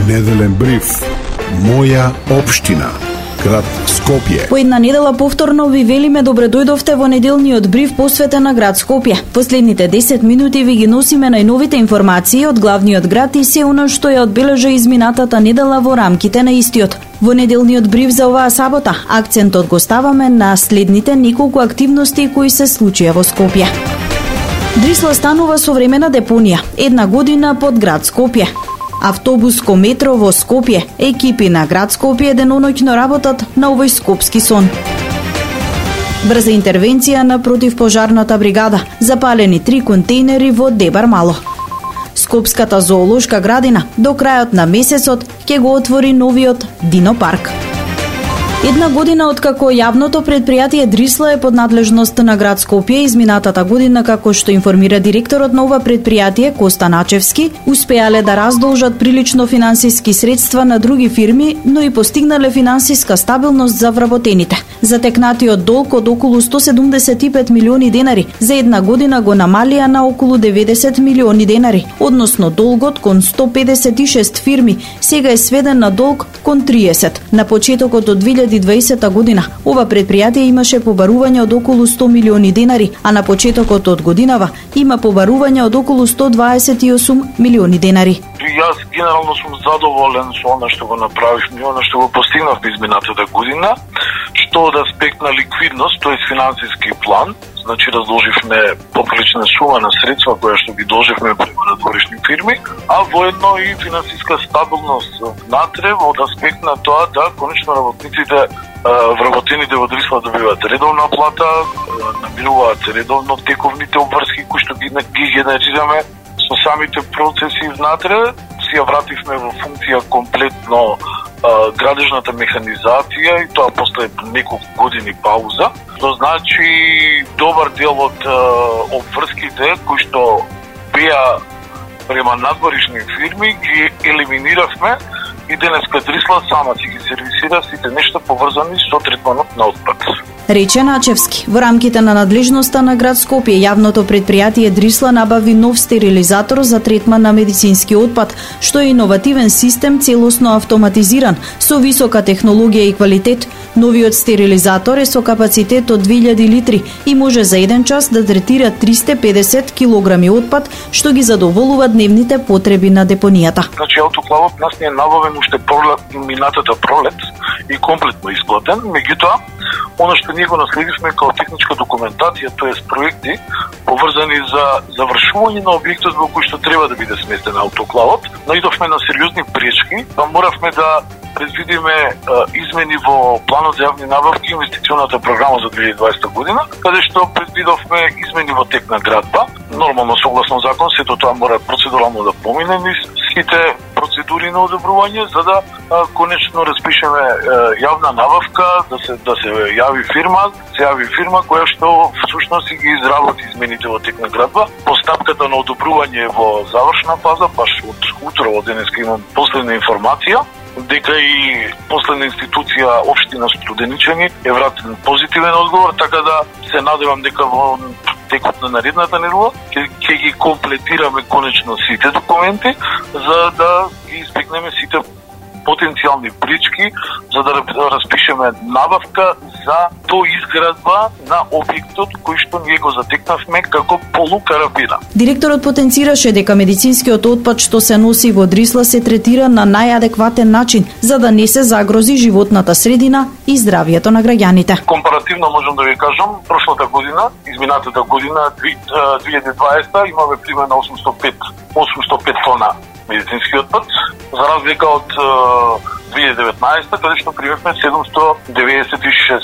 Неделен бриф. Моја општина. Град Скопје. По една недела повторно ви велиме добре дојдовте во неделниот бриф посветен на град Скопје. Последните 10 минути ви ги носиме најновите информации од главниот град и се она што ја одбележа изминатата недела во рамките на истиот. Во неделниот бриф за оваа сабота акцентот го ставаме на следните неколку активности кои се случија во Скопје. Дрисла станува современа депонија, една година под град Скопје. Автобуско метро во Скопје, екипи на град Скопје деноноќно работат на овој скопски сон. Брза интервенција на противпожарната бригада, запалени 3 контейнери во Дебар Мало. Скопската зоолошка градина до крајот на месецот ќе го отвори новиот Дино парк. Една година откако јавното предпријатие Дрисла е под надлежност на град Скопје, изминатата година, како што информира директорот на ова предпријатие Коста Начевски, успеале да раздолжат прилично финансиски средства на други фирми, но и постигнале финансиска стабилност за вработените. Затекнатиот долг од околу 175 милиони денари за една година го намалија на околу 90 милиони денари, односно долгот кон 156 фирми сега е сведен на долг кон 30. На почетокот од 2020 година ова предпријатие имаше побарување од околу 100 милиони денари, а на почетокот од годинава има побарување од околу 128 милиони денари. Јас генерално сум задоволен со она што го направивме, она што го постигнавме изминатата година, што од аспект на ликвидност, тоест финансиски план, значи разложивме поприлична сума на средства која што ги должевме према надворешни фирми, а воедно и финансиска стабилност внатре од аспект на тоа да конечно работниците вработените во Дрисла добиваат редовна плата, намируваат редовно тековните обврски кои што ги генерираме со самите процеси внатре. Си ја вративме во функција комплетно градежната механизација и тоа после неколку години пауза. Што значи добар дел од обврските кои што беа према надворешни фирми ги елиминиравме и денеска Дрисла сама си ги сервисира сите нешта поврзани со третманот на отпад. Рече Начевски. Во рамките на надлежноста на град Скопје, јавното предпријатие Дрисла набави нов стерилизатор за третман на медицински отпад, што е иновативен систем целосно автоматизиран, со висока технологија и квалитет. Новиот стерилизатор е со капацитет од 2000 литри и може за еден час да третира 350 килограми отпад, што ги задоволува дневните потреби на депонијата. Значи автоклавот нас не е набавен уште минатата пролет и комплетно исплатен, меѓутоа она што ние го наследивме како техничка документација, тоест проекти поврзани за завршување на објектот во кој што треба да биде сместен автоклавот, наидовме на сериозни пречки, па моравме да предвидиме измени во планот за јавни набавки и инвестиционата програма за 2020 година, каде што предвидовме измени во тек на градба. Нормално согласно закон сето тоа мора процедурално да помине низ сите процедури на одобрување за да конечно распишеме јавна набавка, да се јави фирма која што всушност ги изработи измените во тек на градба. Постапката на одобрување е во завршна фаза, баш од утро од денеска имам последна информација дека и последна институција општина Студеничани е вратен позитивен одговор, така да се надевам дека во текот на наредната недела ќе ги комплетираме конечно сите документи за да ги избегнеме сите потенцијални пречки за да распишеме набавка за доизградба на објектот кој што ние го затекнавме како полукарабина. Директорот потенцираше дека медицинскиот отпад што се носи во Дрисла се третира на најадекватен начин за да не се загрози животната средина и здравието на граѓаните. Компаративно можам да ви кажам, прошлата година, изминатата година 2020 имаме примерно 805 тона медицински отпад, за разлика од 2019, каде што примевме 796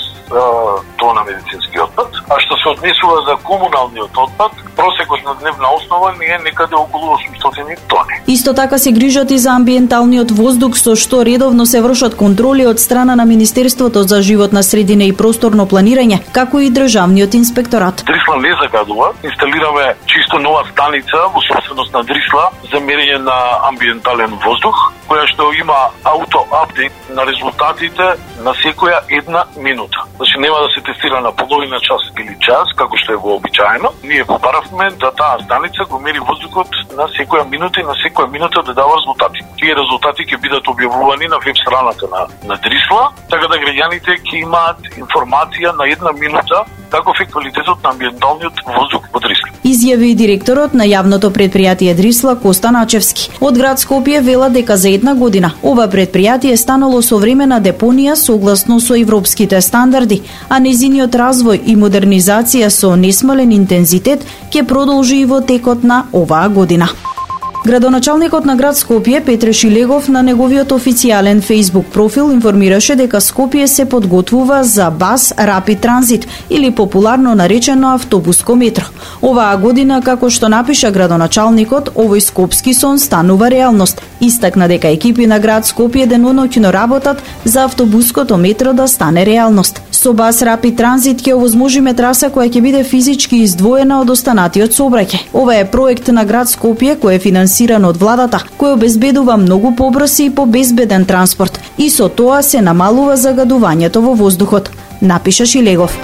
тона медицински отпад. А што се однесува за комуналниот отпад, просекот на дневна основа не е некаде околу 800 тони. Исто така се грижат и за амбиенталниот воздух, со што редовно се вршат контроли од страна на Министерството за животна средина и просторно планирање, како и Државниот инспекторат. Дрисла не загадува. Инсталираме чисто нова станица во собственост на Дрисла за мерење на амбиентален воздух. која што има ауто-апдейт на резултатите на секоја една минута. Значи нема да се тестира на половина час или час, како што е вообичаено. Ние побаравме да таа станица го мери воздухот на секоја минута и на секоја минута да дава резултати. Тие резултати ќе бидат објавувани на веб страната на Дрисла, така да граѓаните ќе имаат информација на една минута каков е квалитетот на амбиенталниот воздух во Дрисла. Изјави и директорот на јавното предпријатие Дрисла Коста Начевски. Од град Скопје вела дека за една година ова предпријатие станало современа депонија согласно со европските стандарди, а незиниот развој и модернизација со несмален интензитет ќе продолжи и во текот на оваа година. Градоначалникот на град Скопје Петре Шилегов на неговиот официјален Facebook профил информираше дека Скопје се подготвува за бас Rapid Transit или популарно наречено автобуско метро. Оваа година, како што напиша градоначалникот, овој скопски сон станува реалност. Истакна дека екипи на град Скопје деноноќно работат за автобуското метро да стане реалност. Со бас Rapid Transit ќе овозможиме траса која ќе биде физички издвоена од останатиот сообраќај. Ова е проект на град Скопје кој е финансиран од владата, кој обезбедува многу побрз и побезбеден транспорт и со тоа се намалува загадувањето во воздухот, напиша Шилегов.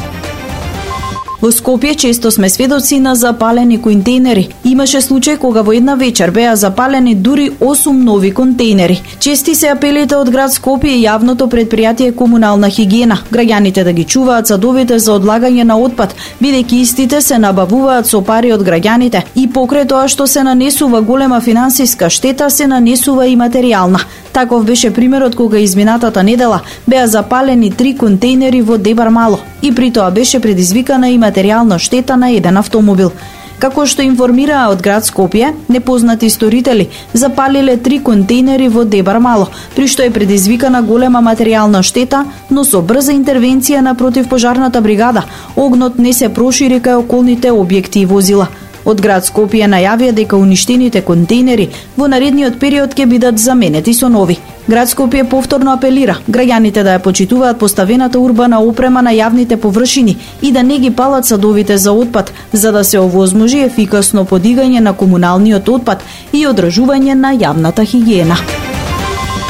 Во Скопје често сме сведоци на запалени контейнери. Имаше случај кога во една вечер беа запалени дури 8 нови контейнери. Чести се апелите од град Скопје и јавното предпријатие Комунална хигиена. Граѓаните да ги чуваат садовите за одлагање на отпад, бидејќи истите се набавуваат со пари од граѓаните и покрај тоа што се нанесува голема финансиска штета, се нанесува и материјална. Таков беше примерот кога изминатата недела беа запалени 3 контейнери во Дебар Мало и при тоа беше предизвикана и материјална штета на еден автомобил. Како што информираа од град Скопје, непознати сторители запалиле 3 контейнери во Дебар Мало, при што е предизвикана голема материјална штета, но со брза интервенција на противпожарната бригада, огнот не се прошири кај околните објекти и возила. Од град Скопје најавија дека уништените контейнери во наредниот период ќе бидат заменети со нови. Град Скопје повторно апелира граѓаните да ја почитуваат поставената урбана опрема на јавните површини и да не ги палат садовите за отпад, за да се овозможи ефикасно подигање на комуналниот отпад и одржување на јавната хигиена.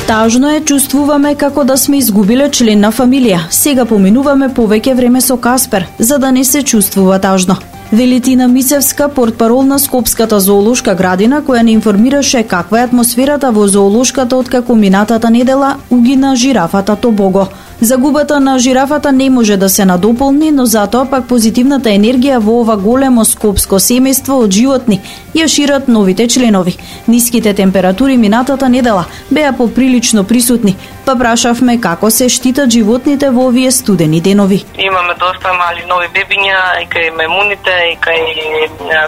Тажно е, чувствуваме како да сме изгубиле член на фамилија. Сега поминуваме повеќе време со Каспер, за да не се чувствува тажно. Вели Тина Мицевска, портпарол на Скопската зоолошка градина, која не информираше каква е атмосферата во зоолошката откако минатата недела угина жирафата Тобого. Загубата на жирафата не може да се надополни, но затоа пак позитивната енергија во ова големо скопско семејство од животни ја шират новите членови. Ниските температури минатата недела беа поприлично присутни, па прашавме како се штитат животните во овие студени денови. Имаме доста мали нови бебиња, и кај мемуните, и кај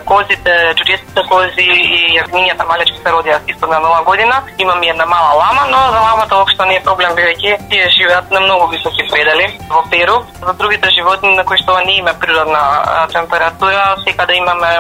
козите, чудесните кози и јагнињата малечки се родија исто на нова година. Имаме една мала лама, но за ламата воопшто не е проблем, бидејќи тие живеат на многу високи предели во Перу. За другите животни на кои што не има природна температура, секаде имаме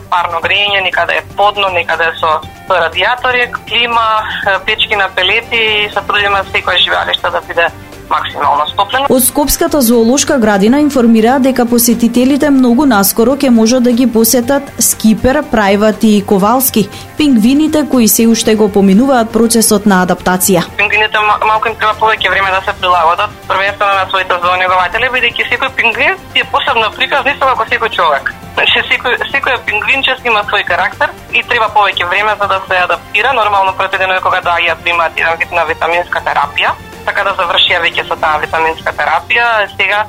парно грејење, некаде е подно, некаде со радиатори, клима, печки на пелети и се трудиме секој живеалиште да биде максимално стоплено. Од Скопската зоолошка градина информира дека посетителите многу наскоро ќе можат да ги посетат Скипер, Прајват и Ковалски, пингвините кои се уште го поминуваат процесот на адаптација. Пингвините малку им треба повеќе време да се прилагодат, првенствено на своите zonегователи, бидејќи секој пингвин е посебно приказ, исто како секој човек. Значи секој пингвинче има свој карактер и треба повеќе време за да се адаптира. Нормално предвидено е кога да примаат еден вид на витаминска терапија, така да завршија веќе со таа витаминска терапија. Сега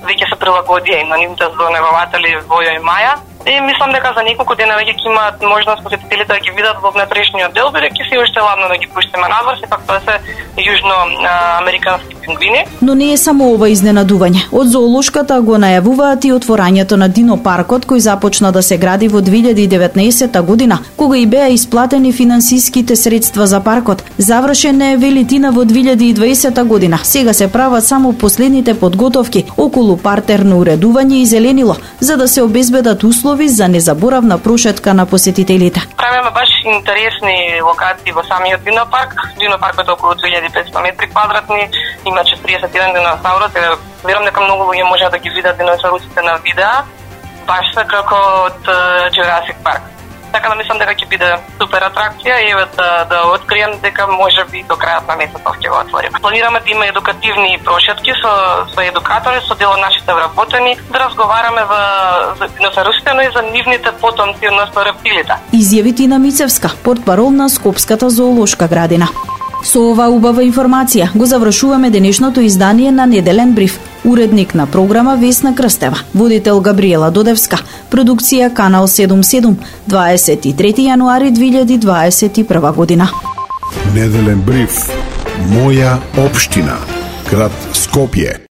веќе се прилагодија и на нивните zonегователи Војо и Маја. И мислам дека за неколку дена веќе ќе имаат можност посетителите да ги видат во внатрешниот дел, бидејќи се уште ладно да ги пуштиме надвор, сепак тоа се јужноамерикански пингвини. Но не е само ова изненадување. Од зоолошката го најавуваат и отворањето на Динопаркот, кој започна да се гради во 2019 година, кога и беа исплатени финансиските средства за паркот. Завршен е, вели Тина, во 2020 година. Сега се прават само последните подготовки околу партерно уредување и зеленило, за да се обезбедат услови за незаборавна прошетка на посетителите. Правиме баш интересни локации во самиот Динопарк. Динопаркот е околу 2500 метри квадратни, има 41 диносаурус. Верувам дека многу луѓе може да ги видат диносаурусите на видеа, баш како од Jurassic Park. Така да мислам дека ќе биде супер атракција и да открием дека можеби до крајот на месецот ќе го отвориме. Планираме да има едукативни прошетки со едукатори, со дел од нашите вработени, да разговараме за русите, но и за нивните потомци, односно рептилите. Изјави Тина Мицевска, портпарол на Скопската зоолошка градина. Со ова убава информација го завршуваме денешното издание на Неделен бриф. Уредник на програма Весна Крстева, водител Габриела Додевска, продукција Канал 77, 23 јануари 2021 година. Неделен бриф. Моја општина. Град Скопје.